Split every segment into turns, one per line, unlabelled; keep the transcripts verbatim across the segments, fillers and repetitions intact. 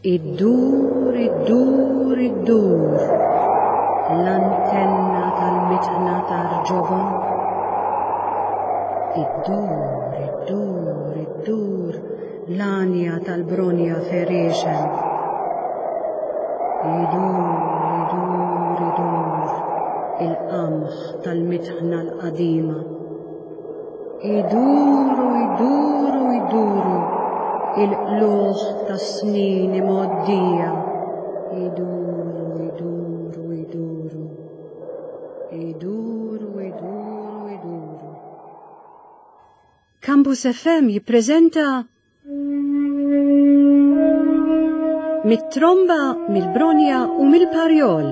Iddur, iddur, iddur, l-antenna tal-mitħna tar-ġobon. Iddur, iddur, iddur, l-għanja tal-bronja ferixen. Idur, idur, idur, il-qamħ tal-mitħna l-qadima. Iduru, iduru, iduru, il-qluħ tas-snin imgħoddija. Iduru, iduru, iduru. Iduru, iduru, iduru. Campus F M jippreżenta Mit-tromba, mill-bronja u mill-parjol.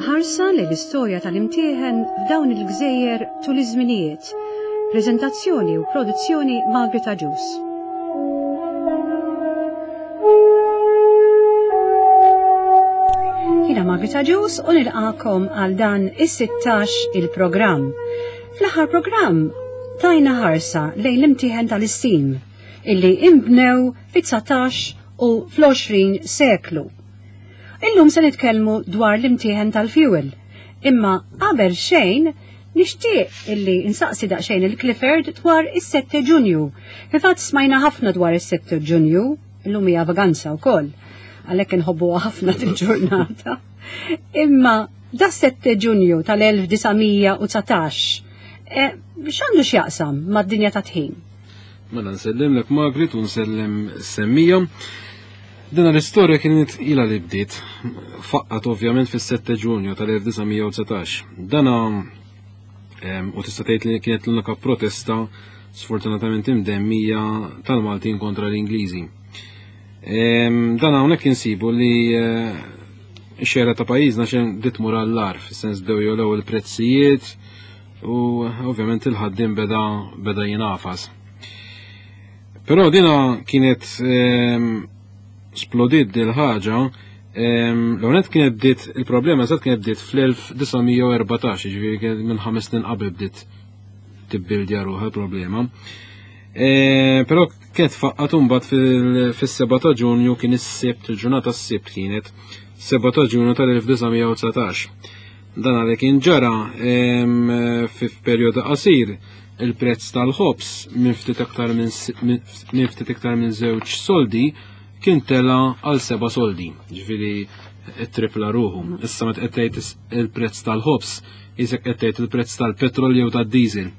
Ħarsa li l-istorja tal-imtieħen f'dawn il-gżejjer tul iż-żminijiet. Preżentazzjoni u produzzjoni Margaret Agius. Jiena Margaret Agius u nilqakom għal dan is-sittax il-programm. Fl-aħħar programm tajna ħarsa lejn l-imtieħen tal-istim illi imbnew fit-dsatax u fl-għoxrin seklu. Illum se nitkellmu dwar l-imtieħen tal-fuel, imma qabel xejn nixtieq illi insaqsi daqsxejn il-Clifford dwar is-sette Ġunju. Fil-fatt smajna ħafna dwar is-sette Ġunju, illum hija vaganza wkoll, għalhekk inħobbuha ħafna til-ġurnata. Imma da sette Ġunju tal-elf disa' mija u dsatax, eh, x'għandu x'jaqsam mad-dinja ta' tħin?
Mela nsellimlek Margaret u nsellem semmija. Dina l-istorja kienet ila li bdiet, faqqat ovvjament fis-sette Ġunju tal-elf disa' mija u dsatax. Dana, em, u tista' tgħid li kienet l-unika protesta sfortunatament imdemmija tal-Maltin kontra l-Ingliżi. Em, dan hawnhekk insibu li, eh, x-xejra ta' pajjiżna xejn bdiet tmur għall-agħar, fis-sens bdew jogħlew il-prezzijiet u ovvjament il-ħaddiem beda, beda jingħafas. Però dina kienet, em, splodiet dil ħaġa, em, l-għonet kienet bdiet, il-problema eżatt kienet bdiet fl-elf disa' mija u erbatax, jiġifieri kienet minn ħames snin qabel bdiet tibbildja ruħha l-problema. E, però kienet faqqat imbagħad fil-, fis-seba ta' Ġunju, kien is-Sibt, il-ġurnata s-Sibt kienet, seba ta' Ġunju tal-elf disa' mija u dsatax. Dan għalhekk kien ġara, em, fi perjodu qasir il-prezz tal-ħobż minn ftit aktar minn s-, minn, minn ftit iktar minn żewġ soldi kien tela għal seba' soldi, ġifieri tripla ruħu. Issa meta qed tgħid is-, il-prezz tal-ħobż, isek qed tgħid il-prezz tal-petrol jew tad-diesel.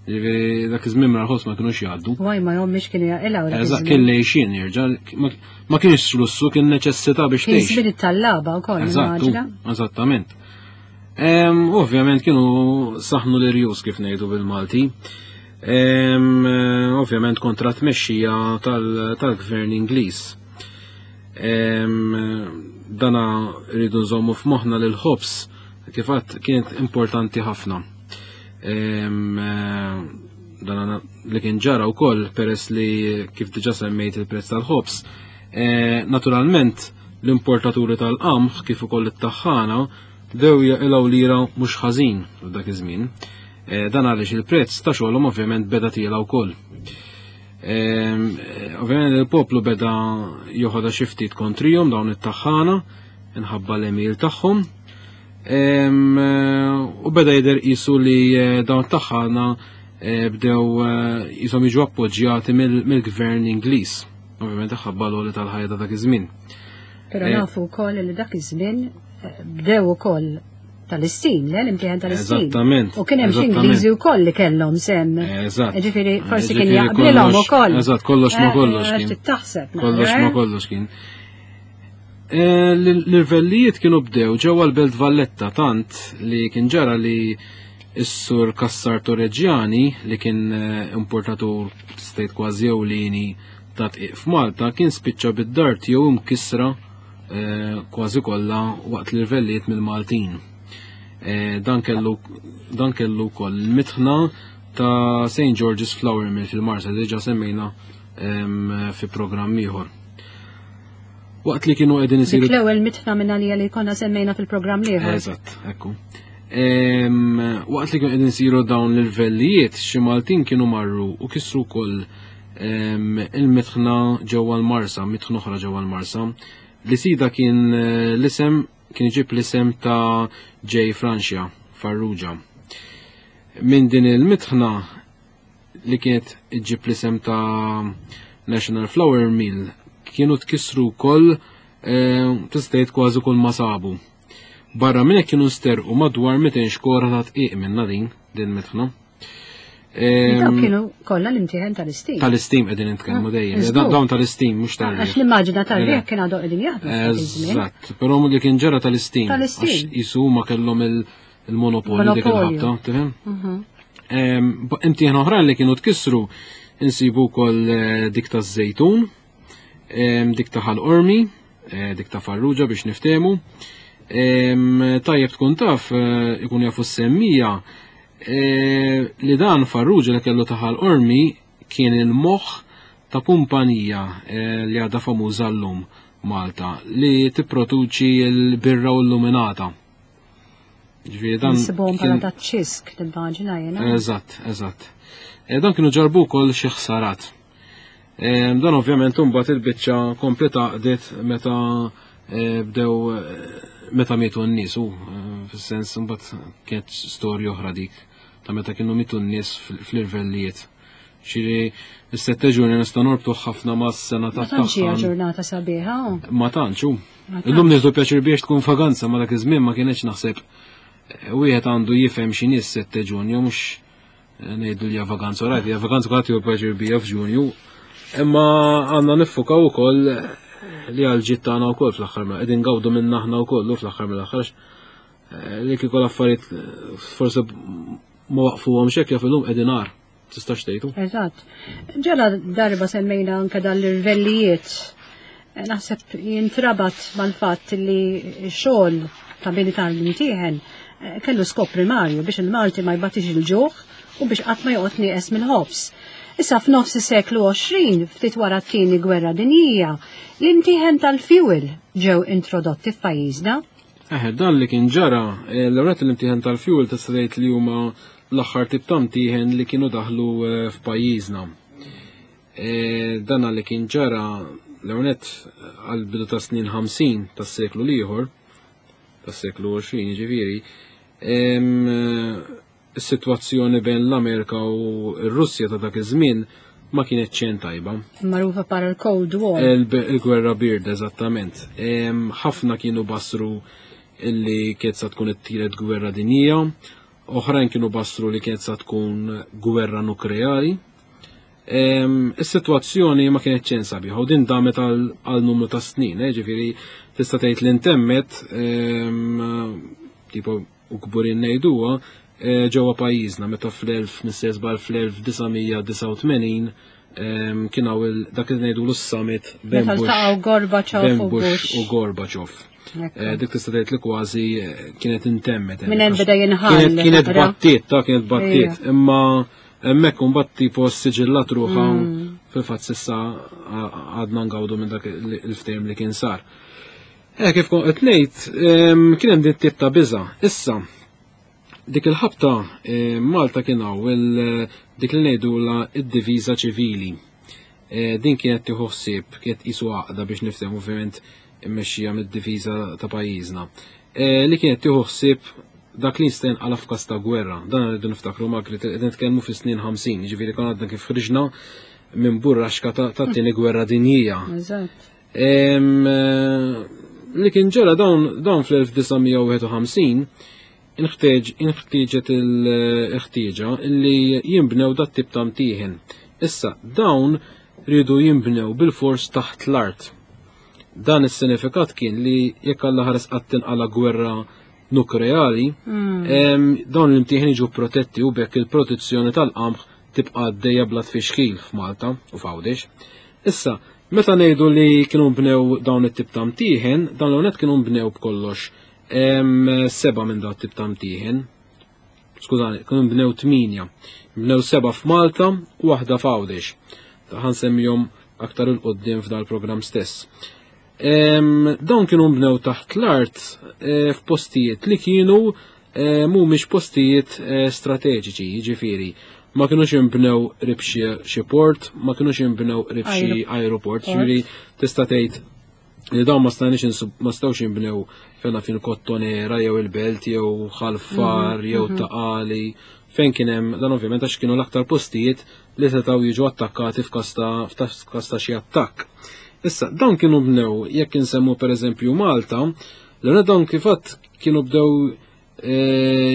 Ġifieri dak iż-żmien mara l-ħobż ma kinux jgħaddu.
Waj ma jom mhix kienu jaqilgħu dak
Eżatt,
iż-żmien.
kien lejxin jerġa', ma, ma kienx lussu, kien neċessità biex
Kien
tgħix.
żmien it-tallaba wkoll,
Eżatt,
immaġina.
eżattament. Em, ovvjament kienu saħnu l-irjus kif ngħidu bil-Malti. Em, ovvjament kontra tmexxija tal-, tal-gvern Ingliż. Em, dana rridu nżommu f'moħħna li l-ħobż kif għadt kienet importanti ħafna. Em, dana li kien ġara wkoll peress li kif diġà semmejt il-prezz tal-ħobż. E, naturalment l-importaturi tal-qamħ kif ukoll it-taħħana bdew jaqilgħu lira mhux ħażin f'dak iż-żmien. E, dan għaliex il-prezz ta' xogħolhom ovvjament beda tiela wkoll. Em, ovvjament il-poplu beda joħodha xi ftit kontrihom dawn it-taħħana inħabba l-emil tagħhom. Em, u beda jidher qisu li, eh, dawn it-taħħana, eh, bdew, eh, qishom jiġu appoġġjati mill-, mill-gvern Ingliż. Ovvjament ħabba l-għoli tal-ħajja ta' dak iż-żmien.
Però
Eh,
nafu wkoll li dak iż-żmien, eh, bdew ukoll tal-istim, le, l-imtieħen tal-istim.
Eżattament,
U kien hemm xi
eżattament.
Ingliżi wkoll li kellhom sem.
Eżatt.
Ġifieri forsi kien
Ġifieri
jaqblilhom
kollox-
ukoll.
Eżatt, kollox ma
Eh,
kollox
eh,
kien.
Ftit taħseb,
Kollox
eh?
ma kollox kien. Eh, l-, l-irvellijiet kienu bdew ġewwa l-Belt Valletta tant li kien ġara li s-sur Cassar Torregiani li kien, eh, importatur state kważi ewlieni ta' tqiq f'Malta kien spiċċa bid-dar tiegħu mkissra, eh, kważi kollha waqt l-irvellijiet mill-Maltin. Eh, dan kellu, dan kellu wkoll il-mitħna ta' Saint George's Flour Mill fil-Marsa li diġà semmejna, em, fi programm ieħor. Waqt li kienu qegħdin isiru
Dik l-ewwel mitħna minn għalija li konna semmejna fil-programm l-ieħor.
Eżatt, ekku. Em, waqt li kienu qegħdin isiru dawn l-irvellijiet, xi Maltin kienu marru u kisru wkoll, il-mitħna ġewwa l-Marsa, mitħna oħra ġewwa l-Marsa. Li sida kien l-isem kien iġib l-isem ta' J. Francia Farrugia. Minn din il-mitħna li kienet iġib l-isem ta' National Flour Mill kienu tkissru wkoll tista' tgħid kważi kull ma sabu. Barra minn hekk kienu nsterqu madwar mitejn xkora ta' tqiq minna din din mitħna.
Dawn kienu kollha l-imtieħen tal-istim.
Tal-istim qegħdin nitkellmu dejjem. Dawn tal-istim mhux tal
Għax l-immaġina tal-riħ kien għadu qegħdin jaħdmu.
Eżatt, però li kien ġara tal-istim.
Tal-istim.
Jisu huma kellhom il-monopolju dik il-ħabta, tifhem? Imtieħen oħrajn li kienu tkissru insibu wkoll dik taż-Żejtun, dik ta' Ħal Qormi, dik ta' Farrugia biex niftehmu. Tajjeb tkun taf ikun jafu s-semmija li dan Farrugia li kellu ta' Ħal Qormi kien il-moħħ ta' kumpanija li għadha famuża llum Malta li tipproduċi l-birra u l-luminata. Ġifieri dan
Nsibuhom bħala ta' ċisk nimmaġina jiena.
Eżatt, eżatt. Dan kienu ġarbu wkoll xi ħsarat. Dan ovvjament imbagħad il-biċċa kompleta qdiet meta bdew meta mietu n-nies u fis-sens imbagħad kienet storja oħra dik ta' meta kienu mietu n-nies fl-irvellijiet. Ġifieri is-sette ġurnata nista' norbtu ħafna mas-sena ta'
Ma tantx hija ġurnata sabiħa.
Ma tantx hu. Illum nieħdu pjaċir biex tkun vaganza, ma dak iż-żmien ma kienx naħseb wieħed għandu jifhem x'inhi s-sette Ġunju mhux ngħidu li hija vaganza, rajt hija vaganza kulħadd jieħu pjaċir bija f'Ġunju. Imma għandna niffukaw ukoll li għal ġid tagħna wkoll fl-aħħar mill qegħdin ngawdu minn aħna wkoll fl-aħħar mill-aħħar li kieku l-affarijiet forsi ma waqfuhomx hekk jaf illum qegħdin għar. Tistax tgħidu?
Eżatt. Ġala darba semmejna anke dal-irvellijiet. Naħseb jintrabat mal-fatt li x-xogħol ta' bini tal-imtieħen kellu skop primarju biex il-Malti ma jbatix il-ġuħ u biex qatt ma joqgħod nieqes mill-ħobż. Issa f'nofs is-seklu għoxrin, ftit wara t-tieni gwerra dinjija, l-imtieħen tal-fuel ġew introdotti f'pajjiżna.
Eħe, dan li kien ġara, l-ewwel l-imtieħen tal-fuel tista' tgħid li huma l-aħħar tip ta' mtieħen li kienu daħlu f'pajjiżna. Dan li kien ġara l-ewwel għall-bidu ta' snin ħamsin tas-seklu l-ieħor, tas-seklu għoxrin jiġifieri, is-sitwazzjoni bejn l-Amerika u r-Russja ta' dak iż-żmien ma kienet xejn tajba.
Magħrufa bħala l-Cold War.
Il-gwerra birda, eżattament. Ħafna kienu basru illi kienet sa tkun it-tielet gwerra dinjija, oħrajn kienu basru li kienet sa tkun gwerra nukleari. Is-sitwazzjoni ma kienet xejn sabiħa u din damet għal numru ta' snin, ġifieri tista' tgħid li ntemmet tipo u kburin ngħiduha ġewwa pajjiżna meta fl-elf nistesbal fl-elf disa' mija disgħa u tmenin kien hawn dak li ngħidu s-summit bejn
Meta ltaqgħu Gorbachev
bejn
u
Bush
Bush.
u Gorbachev. Dik tista' tgħid li kważi kienet intemmet.
Minn hemm beda jinħall.
Kienet battiet, ta' kienet battiet, imma hemmhekk imbagħad tipo siġillat ruħha fil-fatt s'issa għadna ngawdu minn dak il-ftehim li kien sar. Eh, kif kont qed ngħid, kien hemm din tip ta' biża'. Issa, dik il-ħabta Malta kien hawn dik li ngħidulha id-diviża ċivili. Din kienet tieħu ħsieb, kienet qisu għaqda biex niftehmu ovvjament immexxija mid-diviża ta' pajjiżna. Li kienet tieħu ħsieb dak li jista' jinqala' f'każ ta' gwerra. Dan rridu niftakru ma' qed nitkellmu fis-snin ħamsin, jiġifieri konna għadna kif ħriġna minn burraxka ta' tat-tieni gwerra dinjija.
Eżatt.
Li kien ġara dawn, dawn fl-elf disa' mija u wieħed u ħamsin inħtieġet il-ħtieġa li jinbnew dat tip ta' mtieħen. Issa dawn rridu jinbnew bil-fors taħt l-art. Dan is-sinifikat kien li jekk Alla ħares qatt tinqala' gwerra nukleari,
Mm.
em, dawn l-imtieħen jiġu protetti u bekk il-protezzjoni tal-qamħ tibqa' għaddejja bla tfixkil f'Malta u f'Għawdex. Issa, meta ngħidu li kienu nbnew dawn it-tip ta' mtieħen, dawn l-għonet kienu nbnew b'kollox, em, seba' minn dawn it-tip ta' mtieħen. Skużani, kienu nbnew tminja. Nbnew seba' f'Malta u waħda f'Għawdex. Ħa nsemmihom aktar il quddiem f'dal programm stess. Em, dawn kienu nbnew taħt l-art, eh, f'postijiet li kienu, eh, mhumiex postijiet, eh, strateġiċi, jiġifieri. Ma kienux jinbnew qrib xi port, ma kienux jinbnew qrib xi aeroport, ġifieri tista' tgħid li dawn ma stajniex ma stgħux jinbnew fejn fin Kottonera jew il-Belt jew Ħal Far jew Ta' Qali, fejn kien hemm dan, ovvjament għax kienu l-aktar postijiet li setgħu jiġu attakkati f'każ ta' xi attakk. Issa, dawn kienu bnew, jekk insemmu pereżempju Malta, l dawn kifat kienu bdew e,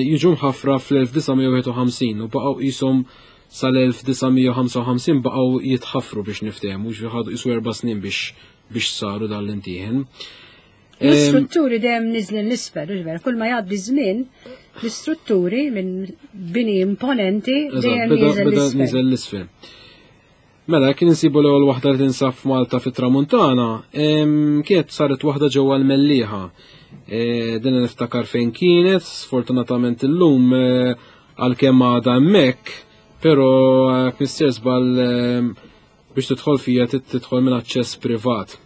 jiġu mħaffra fl-elf disa' mija wieħed u ħamsin u baqgħu qishom sal-elf disa' mija ħamsa u ħamsin baqgħu jitħaffru biex niftehmu, ħadu qisu erba' snin biex biex saru dan l-imtieħen.
L-istrutturi dejjem niżlin 'l isfel, ġver, kull ma jgħaddi żmien, l-istrutturi minn bini imponenti dejjem
niżel 'l isfel. Mela, kien insibu l-ewwel waħda li tinsab f'Malta fit-Tramuntana, kienet saret waħda ġewwa l-Mellieħa. E, din niftakar fejn kienet, sfortunatament illum e, għalkemm għadha hemmhekk, però mister żball biex tidħol fija tidħol minn aċċess privat.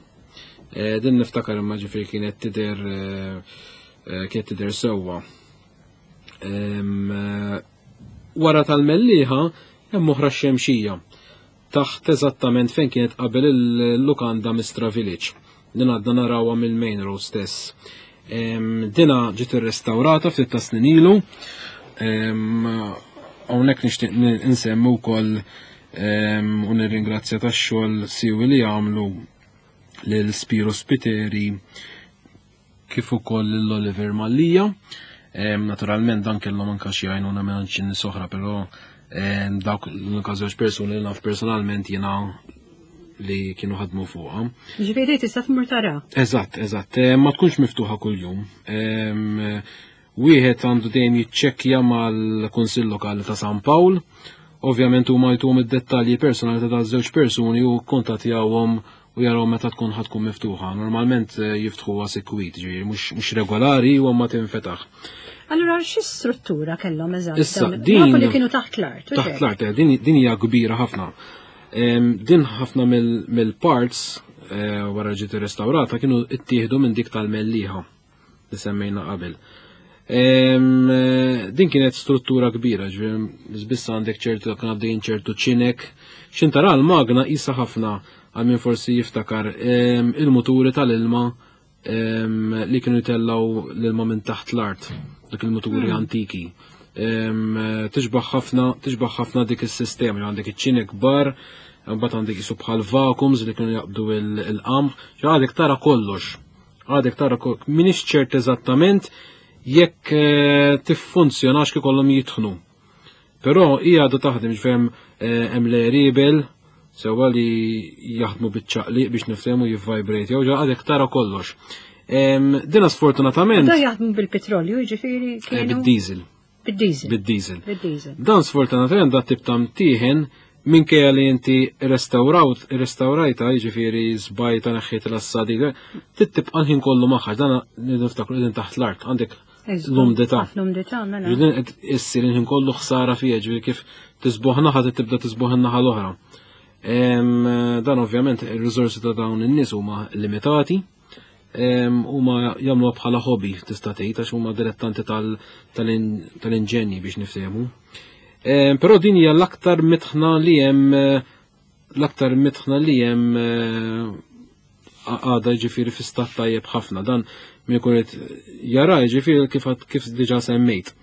E, din niftakar imma ġifieri kienet tidher kienet tidher sewwa. Wara tal-Mellieħa hemm oħra Xemxija taħt eżattament fejn kienet qabel il-lukanda Mistra Village. Din għadna narawha mill-main road stess. Dina ġiet irrestawrata ftit ta' snin ilu. Hawnhekk nixtieq insemmu wkoll u nirringrazzja tax-xogħol siwi li għamlu lil Spiro Spiteri kif ukoll lil Oliver Mallia. Naturalment dan kellhom anke xi għajnuna minn xi nies oħra, però dawk l-unika żewġ persuni li naf personalment jiena li kienu ħadmu fuqha.
Ġifieri tista' tmur tara.
Eżatt, eżatt. Ma tkunx miftuħa kuljum. Wieħed għandu dejjem jiċċekkja mal-Kunsill Lokali ta' San Pawl. Ovvjament huma jtuhom id-dettalji personali ta' żewġ persuni u kontattjawhom u jaraw meta tkun ħa tkun miftuħa. Normalment eh, jiftħuha sikwit, ġifieri mhux regolari u ma tinfetaħ.
Allura xi struttura kellhom eżatt?
Issa, din
li kienu taħt l-art.
Taħt l-art, eh, din hija kbira ħafna. Din ħafna mill-parts eh, wara ġiet irrestawrata kienu ittieħdu minn dik tal-Mellieħa li semmejna qabel. Din kienet struttura kbira, ġifieri biss għandek ċertu kien għaddejjin ċertu ċinek. Xintara l-magna isa ħafna, għal min forsi jiftakar, il-muturi tal-ilma li kienu jtellaw l-ilma minn taħt l-art, dak il-muturi hmm. antiki. Tixbaħ ħafna, tixbaħ ħafna dik is-sistema, għandek iċ-ċinek kbar, mbagħad għandek jisu bħal vacuums li kienu jaqbdu il-qamħ, għadek tara kollox. Għadek tara kollox. Minix ċert eżattament jekk eh, tiffunzjonax kif kollhom jitħnu. Però hija għadha taħdem, ġvem eh, hemm l-ribel sewwa li jaħdmu biċ-ċaqliq biex niftehmu jivvibrate, jew għadek tara kollox. Dina sfortunatament.
Da jaħdmu bil-petrolju, ġifieri
eh, Bid-diesel.
Bid-diesel.
Bid-diesel. Bid-diesel. Dan sfortunatament da tip ta' mtieħen, minkejja li inti restawrawt, restawrajta, jiġifieri żbajta, neħħiet l-assadi, tibqa' l-ħin kollu magħha, dan niftakru qegħdin taħt l-art, għandek l-umdità.
L-umdità, mela.
Ġifieri qed issir il-ħin kollu ħsara fija, ġifieri kif tisbuħ naħa tibda tisbuħ in-naħa l-oħra. Dan ovvjament ir-riżorsi ta' dawn in-nies huma limitati, huma jagħmluha bħala hobby tista' tgħid, għax huma dilettanti tal-inġenji biex niftehmu. Però din hija l-aktar mitħna li hemm l-aktar mitħna li hemm għada ġifieri fi stat tajjeb ħafna. Dan min ikun qed jara ġifieri kif kif diġà semmejt.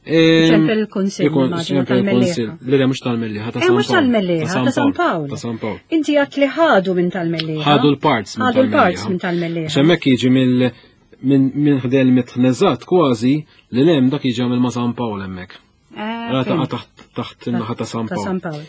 Ċempel il-Kunsill, immaġina,
tal-Mellieħa. Le, le, mhux tal-Mellieħa, ta'
Eh, mhux tal-Mellieħa, ta' San Pawl.
Ta' San Pawl.
Inti għat li ħadu minn tal-Mellieħa.
Ħadu l-parts
minn Ħadu l-parts minn tal-Mellieħa.
Xemmek jiġi mill minn minn ħdejn mitħneżat kważi li lem dak jiġi mill ma' San Pawl hemmhekk.
Eh,
Taqa' taħt taħt in-naħa ta' San
Ta'
Pawl.
San Pawl.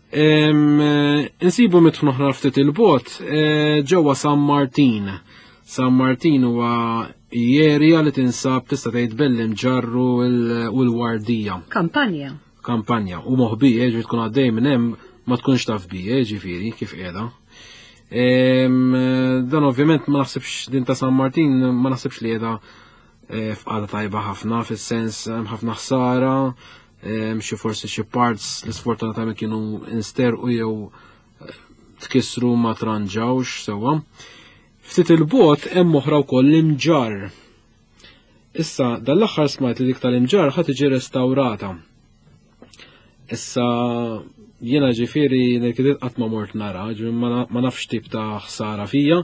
Em, eh, Insibu mitħna oħra ftit il-bot eh, ġewwa San Martin. San Martin huwa area li tinsab tista' tgħid bejn l-Imġarr u l-Wardija.
Kampanja.
Kampanja u moħbija, ġifieri tkun għaddej minn hemm ma tkunx taf bija, ġifieri kif qiegħda. Em, Dan ovvjament ma naħsibx din ta' San Martin ma naħsibx li qiegħda eh, f'qagħda tajba ħafna, fis-sens hemm ħafna ħsara, em, xi forsi xi parts li sfortunatament kienu insterqu jew eh, tkissru ma tranġawx sewwa. Ftit il-bot hemm oħra wkoll l-Imġarr. Issa, dal-aħħar smajt li dik tal-Imġarr ħa tiġi restawrata. Issa jiena ġifieri nirkidiet qatt ma mort nara, ġifieri ma nafx tip ta' ħsara fija,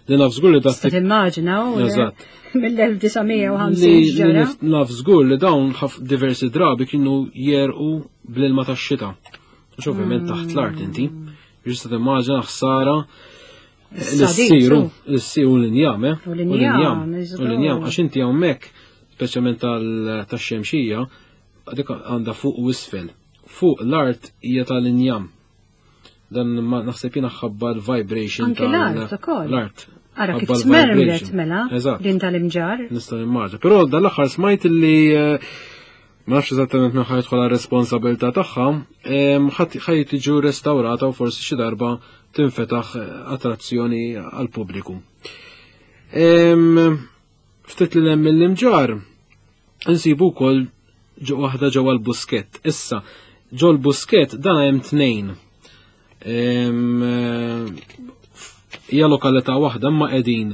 li naf żgur li
da timmaġina u Eżatt. mill-elf disa' mija u ħamsin ġara.
Naf żgur li dawn diversi drabi kienu jerqu bl-ilma tax-xita. Għax ovvjament taħt l-art inti. Ġista timmaġina ħsara l-siru, l-siru l-injam, eh?
U l-injam,
U l-injam, għax inti hawnhekk, speċjalment tax-xemxija, dik għandha fuq u isfel. Fuq l-art hija tal-injam. Dan naħseb jiena ħabba l-vibration
tal l-art ukoll. L-art. Ara kif tmermlet mela din tal-imġar.
Nista' nimmaġina. Però dal-aħħar smajt li ma nafx eżattament minn ħajt tħola responsabilità tagħha, ħaj tiġu restaurata u forsi xi darba tinfetaħ attrazzjoni għall-pubbliku. Ftit li hemm mill-imġar insibu wkoll waħda ġewwa l-Buskett. Issa, ġo l-Buskett dan hemm tnejn. Hija lokalità waħda imma qegħdin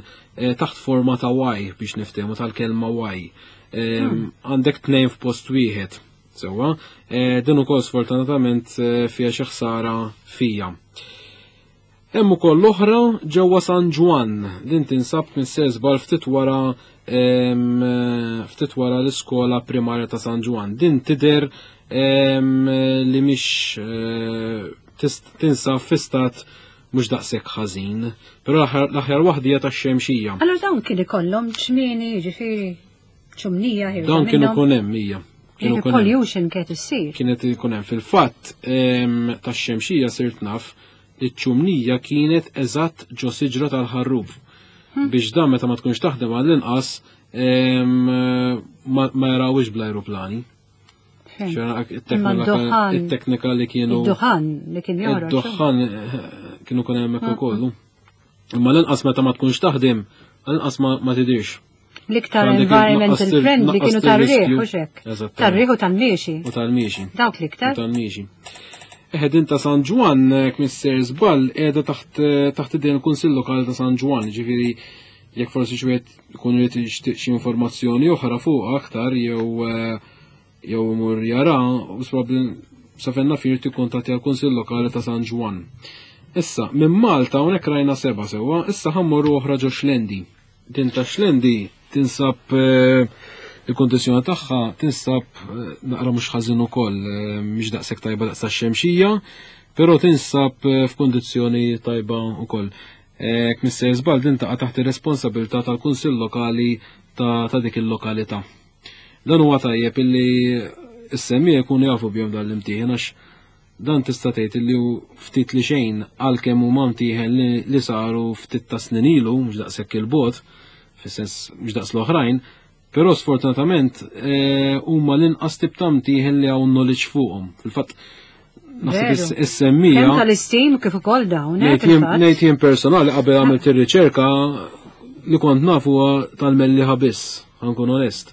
taħt forma ta' Y biex niftehmu tal-kelma Y. Għandek tnejn f'post wieħed. Sewwa, din ukoll sfortunatament fiha xi ħsara fija. Hemm ukoll l-oħra ġewwa San Ġwann, din tinsab minn sesbal ftit wara ftit wara l-iskola primarja ta' San Ġwann. Din tidher li mhix tinsab fi stat mhux daqshekk ħażin, però l-aħjar waħda hija tax-xemxija.
Allora dawn kien ikollhom ċmieni, jiġifieri ċumnija ħirġa.
Dawn kienu kun hemm hija.
Kienu pollution kienet issir.
Kienet ikun hemm fil-fatt tax-xemxija sirt naf li ċ-ċumnija kienet eżatt ġo siġra tal-ħarrub. Biex dan meta ma tkunx taħdem għall-inqas ma jarawx bl-ajruplani. It-teknika li kienu.
Id-duħan li kien joħroġ.
Id-duħan kienu kun hemmhekk ukoll. Imma l-inqas meta ma tkunx taħdem, l-inqas ma tidirx.
L-iktar environmental friendly kienu tar-riħ u xek. Tar-riħ u tal-miexi.
U tal-miexi.
Dawk l-iktar.
U tal-miexi. Eħe din ta' San Ġwann, kmisser żball, qiegħda taħt taħt idejn il-Kunsill Lokali ta' San Ġwann, ġifieri jekk forsi xi wieħed ikun irid jixtieq xi informazzjoni oħra fuq aktar jew jew imur jara, u probabbli sa fejn naf irid ikkuntatti għall-Kunsill Lokali ta' San Ġwann. Issa, minn Malta hawnhekk rajna seba' sewwa, issa ħammorru oħra ġo Xlendi. Din ta' Xlendi tinsab il-kondizjoni tagħha tinsab naqra mhux ħażin ukoll, mhix daqshekk tajba daqs tax-xemxija, però tinsab f'kondizzjoni tajba wkoll. Kmisser żball din taqa' taħt ir-responsabilità tal-Kunsill Lokali ta' dik il-lokalità. Dan huwa tajjeb illi s-semmiegħa jkunu jafu bihom dan l-imtieħen għax dan tista' tgħid illi hu ftit li xejn għalkemm huma mtieħen li saru ftit ta' snin ilu, mhux daqshekk il-bogħod, fis-sens mhux daqs l-oħrajn, però sfortunatament huma l-inqas tip ta' mtieħen li hawn knowledge fuqhom. Fil-fatt naħseb is-semmija.
Kemm tal-istim kif ukoll dawn, eh,
Ngħid jien personali qabel għamilt ir-riċerka li kont naf huwa tal-Mellieħa biss, ħankun onest.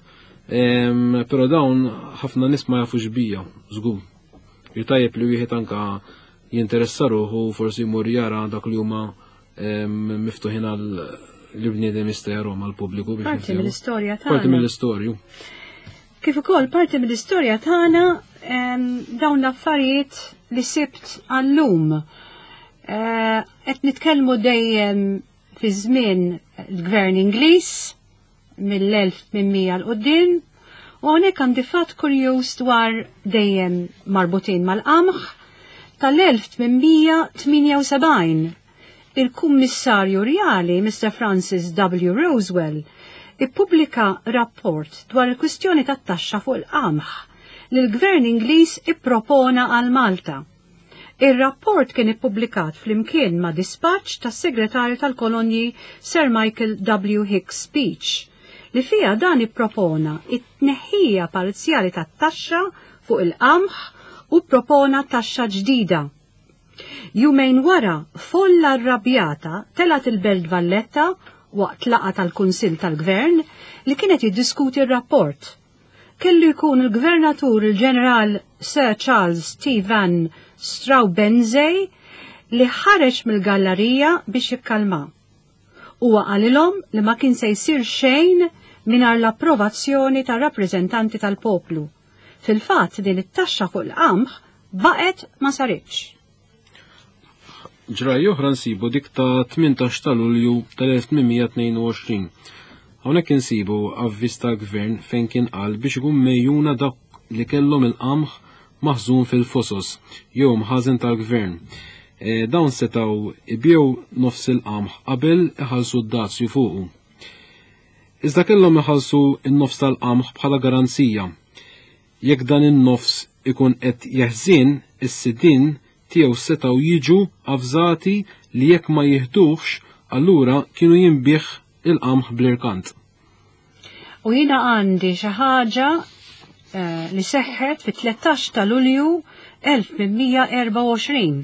Però dawn ħafna nies ma jafux bija, żgur. Tajjeb li wieħed anka jinteressa ruħu forsi jmur jara dak li huma miftuħin għal li bniedem jista' jarahom għall-pubbliku biex
Parti mill-istorja tagħna.
Parti mill-istorju.
Kif ukoll parti mill-istorja tagħna dawn l-affarijiet li sibt għallum. Qed nitkellmu dejjem fi żmien il-Gvern Ingliż mill-elf tmien mija l quddiem, u hawnhekk għandi fatt kurjuż dwar dejjem marbutin mal-qamħ tal-elf tmien mija tmienja u sebgħin. Il-Kummissarju Rjali, Mister Francis W. Rosewell, ippubblika rapport dwar il-kwistjoni tat-taxxa fuq il-qamħ li l-Gvern Ingliż ippropona għal Malta. Ir-rapport kien ippubblikat flimkien ma' dispaċċ tas-Segretarju tal-Kolonji Sir Michael W. Hicks Speech, li fija dan ippropona it-tneħħija parzjali tat-taxxa fuq il-qamħ u propona taxxa ġdida. Jumejn wara, folla rrabjata telat il-Belt Valletta waqt laqgħa tal-Kunsill tal-Gvern li kienet jiddiskuti r-rapport. Kellu jkun il-Gvernatur il-Ġeneral Sir Charles T. Van Straubenzee li ħareġ mill-gallerija biex jikkalma. Huwa qalilhom li ma kien se jsir xejn mingħajr l-approvazzjoni tar-rappreżentanti tal-poplu. Fil-fatt din it-taxxa fuq il-qamħ Baqgħet ma saritx.
Ġrajja oħra nsibu dik ta' tmintax ta' Lulju tal-elf tmien mija tnejn u għoxrin. Hawnhekk insibu avviż tal-gvern fejn kien qal biex ikun mejjuna dak li kellhom il-qamħ maħżun fil-fosos jew mħażen tal-gvern. E, dawn setgħu ibjew nofs il-qamħ qabel iħallsu d-dazju fuqu. Iżda kellhom iħallsu n-nofs tal-qamħ bħala garanzija. Jekk dan in-nofs ikun qed jeħżin, is-sidien tiegħu setgħu jiġu avżati li jekk ma jiħduhx, allura kienu jinbiegħ il-qamħ bl-irkant.
U jiena għandi xi ħaġa eh, li seħħet fit-tlettax ta' Lulju elf tmien mija erbgħa u għoxrin.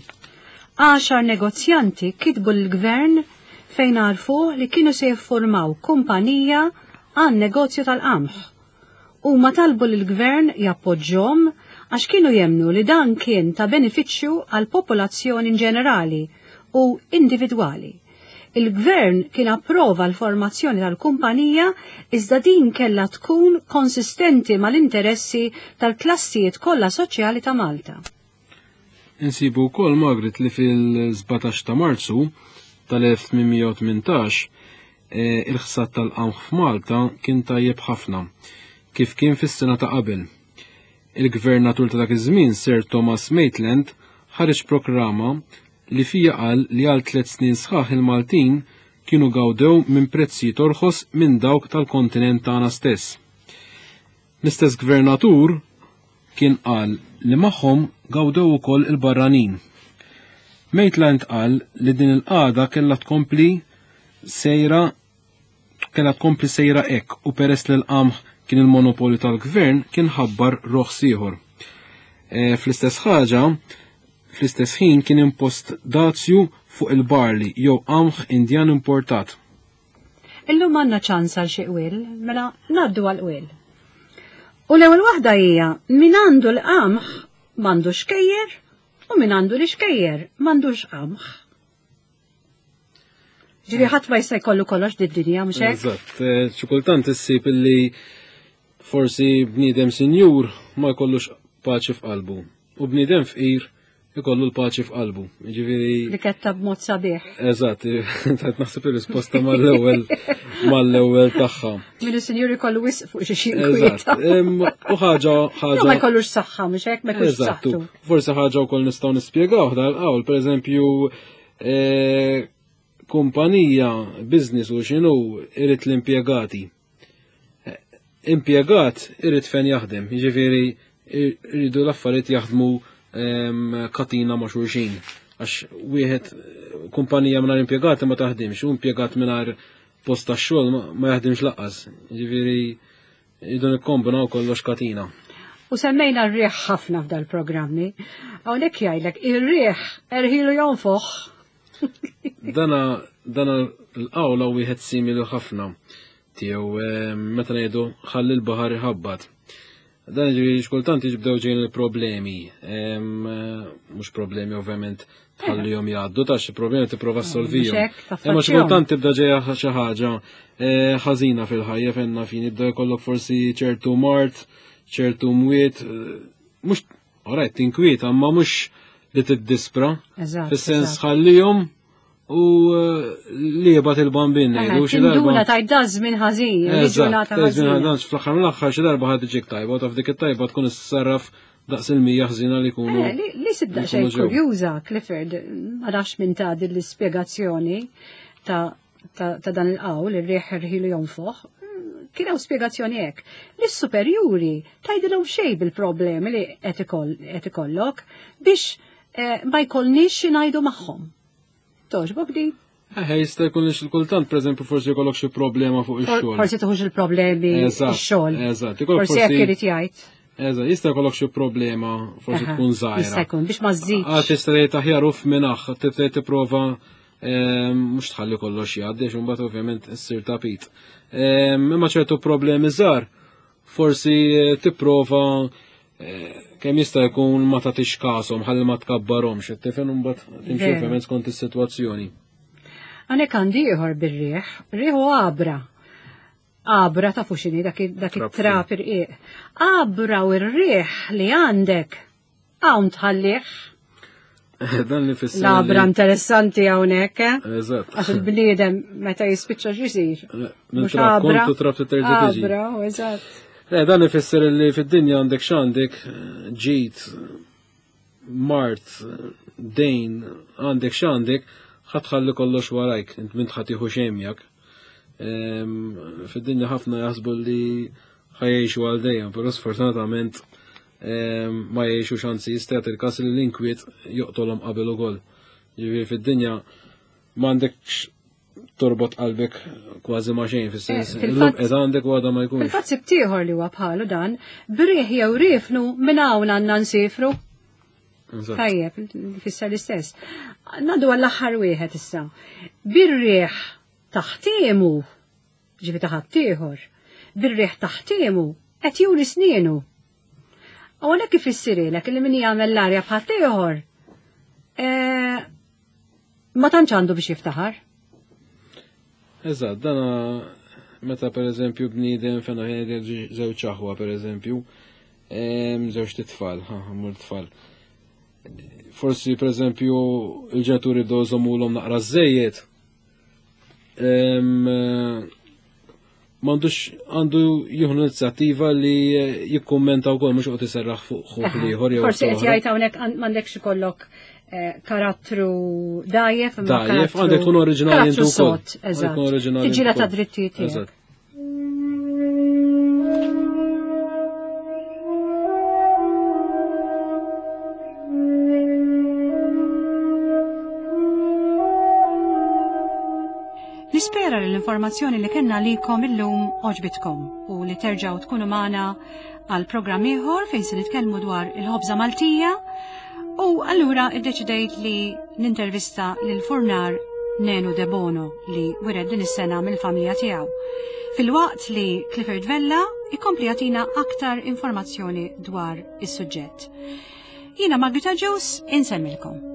Għaxar negozjanti kitbu l-gvern fejn għarfuh li kienu se jiffurmaw kumpanija għan negozju tal-qamħ. U ma talbu l-gvern jappoġġhom għax kienu jemnu li dan kien ta' benefiċċju għal popolazzjoni ġenerali u individwali. Il-gvern kien approva l-formazzjoni tal-kumpanija, iżda din kella tkun konsistenti mal-interessi tal-klassijiet kollha soċjali ta' Malta.
Insibu wkoll, Margaret, li fil-sbatax ta' Marzu tal-elf tmien mija tmintax eh, il-ħsad tal-qamħ f'Malta kien tajjeb ħafna, kif kien fis-sena ta' qabel. Il-gvernatur ta' dak iż-żmien, Sir Thomas Maitland, ħareġ proklama li fija qal li għal tliet snin sħaħ il-Maltin kienu gawdew minn prezzijiet orħos minn dawk tal-kontinent tagħna stess. L-istess gvernatur kien qal li magħhom gawdew ukoll il-barranin. Maitland qal li din il-qagħda kellha tkompli sejra kellha tkompli sejra hekk u peress li l-qamħ kien il-monopolju tal-gvern kien ħabbar roħs ieħor. E, fl-istess ħaġa, fl-istess ħin kien impost dazju fuq il-barley jew qamħ Indjan importat.
Illum għandna ċans għal xi qwiel, mela ngħaddu għal qwiel. U l-ewwel waħda hija: min għandu l-qamħ m'għandux xkejjer u min għandu l-xkejjer m'għandux qamħ. Ġifieri ħadd ma jista' jkollu kollox did-dinja, mhux hekk?
Eżatt, eh, xi kultant issib illi forsi bniedem sinjur ma jkollux paċi f'qalbu u bniedem fqir ikollu l-paċi f'qalbu. Ġifieri
Li ketta b'mod sabiħ.
Eżatt, tajt naħseb ir-risposta mal-ewwel mal-ewwel tagħha.
Min is-sinjur ikollu wisq fuq xi xi
Eżatt. Em, U ħaġa ħaġa
Ma jkollux saħħa, mhux hekk, ma jkollux
Eżatt,
saħħtu.
forsi ħaġa wkoll nistgħu nispjegaw dal-qawl, pereżempju, eh, kumpanija, business u x'inhu irid l-impjegati. Eh, Impjegat irid fejn jaħdem, jiġifieri iridu l-affarijiet jaħdmu em, katina ma' xulxin. Għax wieħed kumpanija mingħajr impjegati ma taħdimx, u impjegat mingħajr post tax-xogħol ma- ma jaħdimx lanqas. Jiġifieri iridu nikkombinaw kollox katina.
U semmejna r-riħ ħafna f'dal-programmi. Hawnhekk jgħidlek ir-riħ erħilu jonfoħ.
Dana dana l-qawla wieħed simili ħafna tiegħu eh, meta ngħidu ħalli l-baħar iħabbat. Dan ġifieri xkultant jibdew ġejjin il-problemi, em, eh, mhux problemi ovvjament tħallihom jgħaddu, ta' xi problemi tipprova ssolvihom.
Mhux hekk,
Imma
taffaċċjahom.
xi kultant tibda ġejja xi ħaġa eh, ħażina fil-ħajja fenna fin jibda jkollok forsi ċertu mard, ċertu mwiet, eh, mhux alright tinkwiet, imma mhux li tiddispra.
Eżatt.
Fis-sens
eżatt.
ħallihom u eh, li jibgħat il-bambin ngħidu xi darba.
Tinduna taj da żmien ħażin,
Eżatt,
ġurnata
żmien
ħażina.
ħażin, fl-aħħar mill-aħħar xi darba ħad tiġik tajba u taf dik it-tajba tkun issarraf daqs il-mija ħżina li jkunu.
Eh, Li li sibda
li
xejn
jkunu ġew.
kurjuża, Clifford, ma nafx minn ta' din l-ispjegazzjoni ta' ta' ta' dan il-qawl, ir-riħ irħilu jonfoħ, kien hawn spjegazzjoni hekk. Lis-superjuri tgħidilhom xejn bil-problemi li qed ikoll- qed ikollok biex eh, ma jkollniex xi ngħidu magħhom. Togħġbok di?
Eh, jista' jkun li xi kultant, pereżempju, forsi jkollok xi problema fuq ix-xogħol.
Forsi tuħux il-problemi
Eżatt,
ix-xogħol.
eżatt, ikollok
Forsi hekk
forsi-
irid jgħid.
Eżatt, jista' jkollok xi problema, forsi
Aha,
tkun żgħira.
Jista' jkun biex ma żżidx.
Għad tista' tgħid aħjar uff minaħ, tibda tipprova ehm, mhux tħalli kollox jgħaddi, għax imbagħad ovvjament issir tapit. Ehm, Imma ċertu problemi żgħar, forsi eh, tipprova eh, kemm jista' jkun ma tagħtix kashom ħalli ma tkabbarhomx, tifhem, imbagħad timxi
Veru.
ovvjament skont is-sitwazzjoni.
Għanek għandi ieħor bir-riħ, riħ u għabra. Għabra ta' fuxini dak dak
Trab
it-trab irqiq. Għabra u r-riħ li għandek hawn tħallih.
Dan li fisser.
Labra interessanti hawnhekk, eh?
Eżatt.
Għax il-bniedem meta jispiċċa x'isir.
Mhux abra. Kontu trab terġa' tiġi.
Abra, eżatt.
Le, dan ifisser li fid-dinja għandek x'għandek ġid, mart, dejn, għandek x'għandek, ħatħalli kollox warajk, int minn ħadd jieħu xejn miegħek. Fid-dinja ħafna jaħsbu li ħajjexu għal dejjem, però sfortunatament ma jgħixu xanzi jista' jagħti il-każ li l-inkwiet joqtolhom qabel ukoll. Ġifieri fid-dinja m'għandekx torbot qalbek kważi ma xejn fis-sens.
Eh,
Illum qed għandek u għadha ma jkunx.
Fil-fatt sibt ieħor li huwa bħalu dan, briħ jew rifnu minn hawn għandna nsifru. Tajjeb, fisser l-istess. Nadu għall-aħħar wieħed issa. Bir-riħ taħtiemu, ġifi taħat ieħor, bir-riħ taħtiemu qed juri snienu. U għalhekk ifissirilek li min jagħmel l-arja bħal ieħor eh, ma tantx għandu biex jiftaħar.
Eżatt, dana meta per eżempju bniedem fena żewġ aħwa per eżempju, żewġ titfal, ħa tfal. Forsi per eżempju il-ġenituri bdew iżommulhom naqra żejjed. M'għandux għandu jieħu inizjattiva li jikkummenta wkoll mhux qed iserraħ fuq ħuh ieħor jew.
Forsi qed jgħid hawnhekk m'għandekx ikollok eh, karattru dajjef, imma
Dajjef, għandek tkun oriġinali
karattru
inti wkoll.
sod, eżatt.
Tkun oriġinali
Tiġġiela
inti
ta'
wkoll.
drittijiet tiegħek.
Eżatt.
Nispera li l-informazzjoni li kellna likom illum għoġbitkom u li terġgħu tkunu magħna għal programm ieħor fejn se nitkellmu dwar il-ħobża Maltija u allura iddeċidejt li nintervista lil furnar Nenu De Bono li wired din is-sena mill-familja tiegħu. Filwaqt li Clifford Vella ikompli jagħtina aktar informazzjoni dwar is-suġġett. Jiena Margita Ġews insemmilkom.